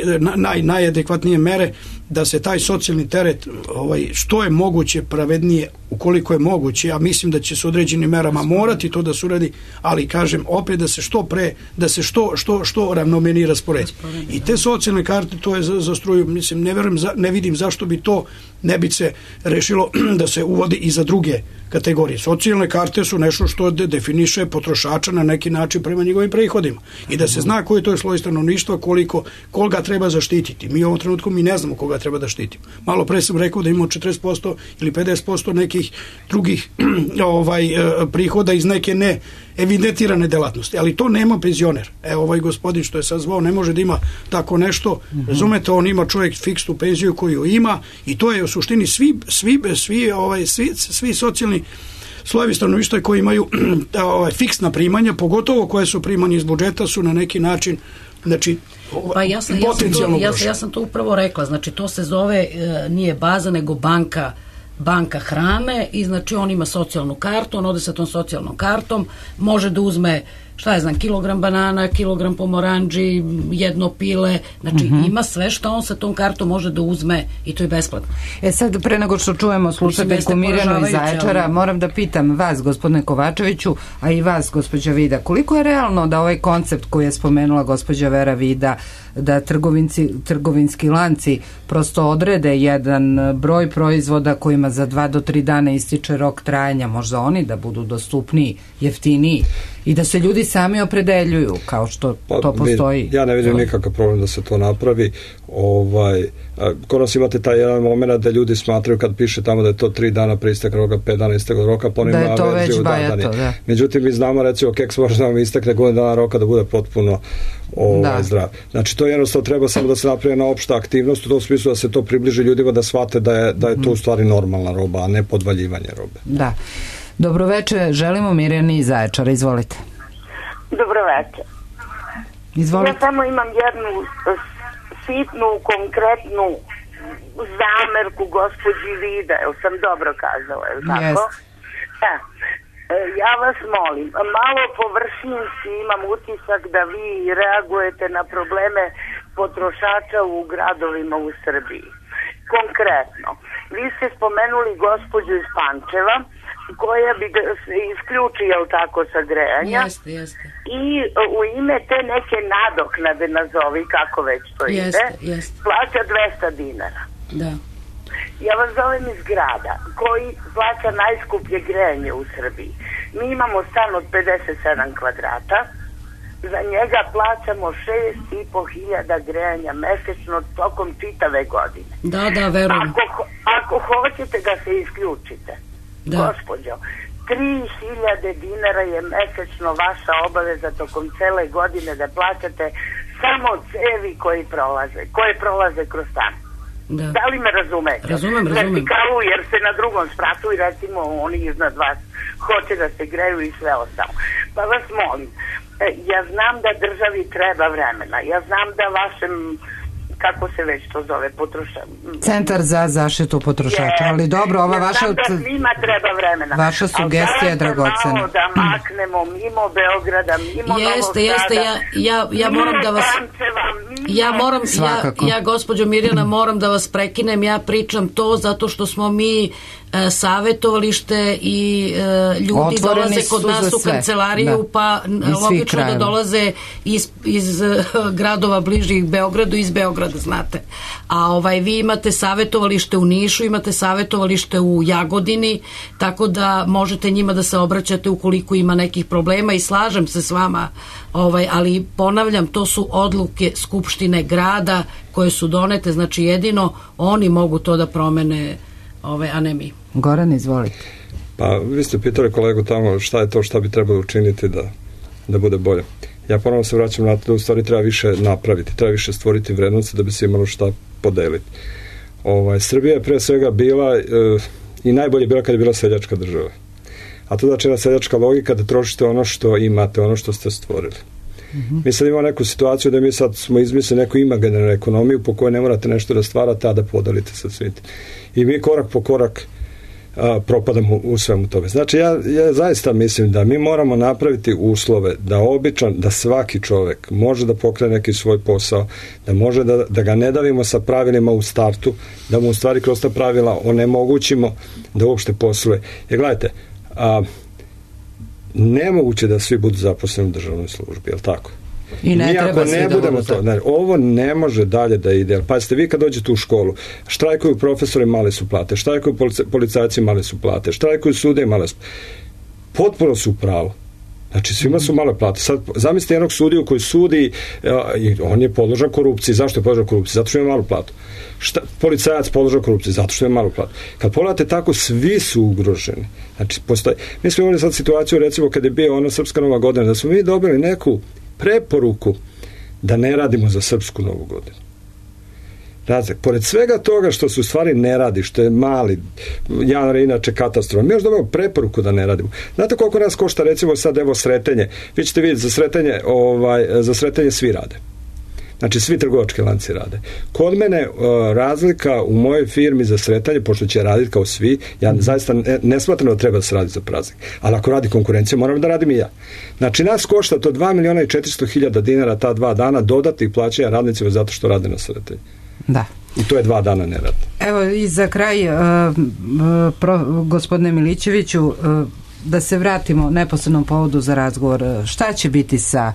najadekvatnije mere, da se taj socijalni teret što je moguće pravednije, ukoliko je moguće, a mislim da će se određenim merama morati to da se uradi, ali kažem opet da se što pre, da se što ravnomenije rasporedi. I te socijalne karte, to je za struju, mislim, ne vidim zašto bi to ne bi se rešilo da se uvodi i za druge kategorije. Socijalne karte su nešto što definiše potrošača na neki način prema njegovim prihodima i da se zna koji to je sloj stanovništva, koga treba zaštititi. Mi u ovom trenutku ne znamo koga treba da štitimo. Malo pre sam rekao da imamo 40% ili 50% nekih drugih prihoda iz neke ne evidentirane delatnosti, ali to nema penzioner. Ovaj gospodin što je sad zvao ne može da ima tako nešto, razumete, on ima čovjek fiksnu penziju koju ima i to je u suštini svi socijalni slojevi stanovništva koji imaju fiksna primanja, pogotovo koje su primanja iz budžeta, su na neki način potencijalno ugrožene. Ja sam to upravo rekla, znači to se zove, nije baza, nego banka hrane i znači on ima socijalnu kartu, on ode sa tom socijalnom kartom, može da uzme, kilogram banana, kilogram pomoranđi, jedno pile, znači ima sve što on sa tom kartom može da uzme i to je besplatno. Sad, pre nego što čujemo slušateljku Mirjanu iz Zaječara, moram da pitam vas, gospodine Kovačeviću, a i vas, gospođa Vida, koliko je realno da ovaj koncept koji je spomenula gospođa Vera Vida, da trgovinski lanci prosto odrede jedan broj proizvoda kojima za 2 do 3 dana ističe rok trajanja, možda oni da budu dostupniji, jeftiniji i da se ljudi sami opredeljuju kao što to postoji. Ja ne vidim nikakav problem da se to napravi. Kod nas imate taj jedan moment da ljudi smatraju kad piše tamo da je to 3 dana pre isteka roka, 5 dana isteka roka, pa da je to već bajato. Međutim, mi znamo, recimo, keks može da vam istekne godinu dana roka da bude potpuno zdrav. Znači, to jednostavno treba samo da se napravi jedna opšta aktivnost u tom smislu da se to približi ljudima da shvate da je to u stvari normalna roba, a ne podvaljivanje robe. Da. Dobroveče, želimo Mirjani iz Zaječara, izvolite. Dobroveče. Izvolite. Ja samo imam jednu sitnu, konkretnu zamerku gospođi Vida, jel sam dobro kazala, jel tako? Ja vas molim, malo površinski imam utisak da vi reagujete na probleme potrošača u gradovima u Srbiji. Konkretno, vi ste spomenuli gospođu iz Pančeva, koja bi se isključi, jel tako, sa grejanja. Jeste. I u ime te neke nadoknade, nazovi, kako već to ide, plaća 200 dinara. Da. Ja vas zovem iz grada, koji plaća najskuplje grejanje u Srbiji. Mi imamo stan od 57 kvadrata, za njega plaćamo 6.500 grejanja mesečno tokom čitave godine. Da, verujem. Ako hoćete da se isključite, gospođo, 3.000 dinara je mesečno vaša obaveza tokom cele godine da plaćate samo cevi koje prolaze kroz stan. Da li me razumete? Razumem. Vertikalu, jer se na drugom spratu i recimo oni iznad vas hoće da se greju i sve ostalo. Pa vas molim, ja znam da državi treba vremena, ja znam da vašem, kako se već to zove, Centar za zaštitu potrošača, ali dobro, ova vaša... Ja znam da svima treba vremena. Vaša sugestija je dragocena. Malo da maknemo mimo Beograda, mimo Novog Sada. Ja moram da vas... Ja, gospođo Mirjana, moram da vas prekinem, ja pričam to zato što smo mi savjetovalište i ljudi dolaze kod nas u kancelariju, pa logično da dolaze iz gradova bližih Beogradu, iz Beograda, znate. A vi imate savjetovalište u Nišu, imate savjetovalište u Jagodini, tako da možete njima da se obraćate ukoliko ima nekih problema i slažem se s vama, ali ponavljam, to su odluke Skupštine grada koje su donete, znači jedino oni mogu to da promene, a ne mi. Goran, izvolite. Pa, vi ste pitali kolegu tamo šta je to šta bi trebalo učiniti da bude bolje. Ja ponovno se vraćam na to da u stvari treba više napraviti, treba više stvoriti vrednosti da bi se imalo šta podeliti. Srbija je pre svega bila i najbolje bila kad je bila seljačka država. A to znači jedna seljačka logika da trošite ono što imate, ono što ste stvorili. Mi sad imamo neku situaciju da mi sad smo izmislili neku imaginarnu ekonomiju po kojoj ne morate nešto da stvarate, a da podelite sa svijetom. I mi korak po korak propadamo u svemu tome. Znači, ja zaista mislim da mi moramo napraviti uslove da svaki čovek može da pokrene neki svoj posao, da može da ga ne davimo sa pravilima u startu, da mu u stvari kroz ta pravila onemogućimo da uopšte posluje. Jer gledajte, nemoguće da svi budu zaposleni u državnoj službi, je li tako? I ne treba ne budemo to. Ovo ne može dalje da ide. Pazite, vi kad dođete u školu, štrajkuju profesori, male su plate, štrajkuju policajci, male su plate, štrajkuju sude, male su plate. Potpuno su u pravu. Znači, svima su male plate. Sad, zamislite jednog sudiju koji sudi i on je podložan korupciji. Zašto je podložan korupciji? Zato što ima malu platu. Policajac podložan korupciji. Zato što ima malu platu. Kad pogledate tako, svi su ugroženi. Znači, mi smo imali sad situaciju, recimo, kad je bio ona Srpska Nova godina, da smo mi dobili neku preporuku da ne radimo za Srpsku Novu godinu. Razlika. Pored svega toga što se u stvari ne radi, što je mali, januar je inače katastrofa, mi još dobijemo preporuku da ne radimo. Znate koliko nas košta, recimo sad, evo, Sretenje. Vi ćete vidjeti, za Sretenje svi rade. Znači, svi trgovački lanci rade. Kod mene razlika u mojoj firmi za Sretanje, pošto će raditi kao svi, ja zaista ne smatram da treba da se radi za praznik. Ali ako radi konkurencija, moram da radim i ja. Znači, nas košta to 2.400.000 dinara ta 2 dana dodatnih plaćanja radnicima zato što rade na Sretenje. Da. I to je 2 dana nerad. Evo i za kraj, gospodine Milićeviću, da se vratimo neposrednom povodu za razgovor. Šta će biti sa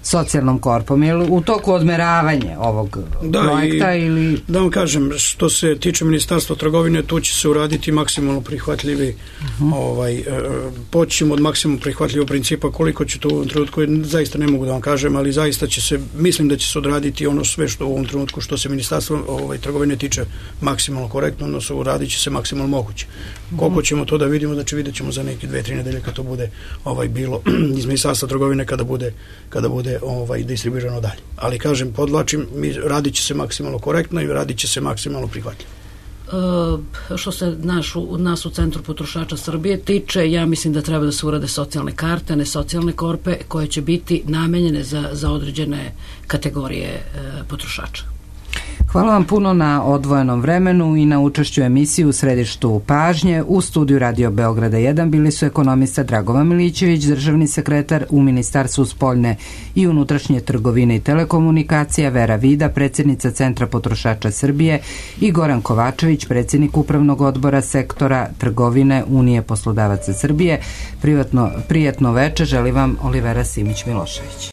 socijalnom korpom? Je li u toku odmeravanje ovog projekta? Ili... Da vam kažem, što se tiče Ministarstva trgovine, tu će se uraditi maksimalno prihvatljivi počnemo od maksimalno prihvatljivog principa. Koliko će to u ovom trenutku, zaista ne mogu da vam kažem, ali zaista će se, mislim da će se odraditi ono sve što u ovom trenutku što se Ministarstva trgovine tiče maksimalno korektno, odnosno uradit će se maksimalno moguće. Koliko ćemo to da vidimo, znači vidjet ćemo za neke 2-3 nedelje kad to bude bilo iz Ministarstva trgovine, kada bude distribuirano dalje. Ali kažem, podvlačim, radit će se maksimalno korektno i radit će se maksimalno prihvatljivo. Što se nas u Centru potrošača Srbije tiče, ja mislim da treba da se urade socijalne karte, ne socijalne korpe, koje će biti namenjene za određene kategorije potrošača. Hvala vam puno na odvojenom vremenu i na učešću emisiji u središtu pažnje. U studiju Radio Beograda 1 bili su ekonomista Dragovan Milićević, državni sekretar u Ministarstvu spoljne i unutrašnje trgovine i telekomunikacija, Vera Vida, predsjednica Centra potrošača Srbije, i Goran Kovačević, predsjednik Upravnog odbora sektora trgovine Unije poslodavaca Srbije. Prijatno veče želi vam Olivera Simić Milošević.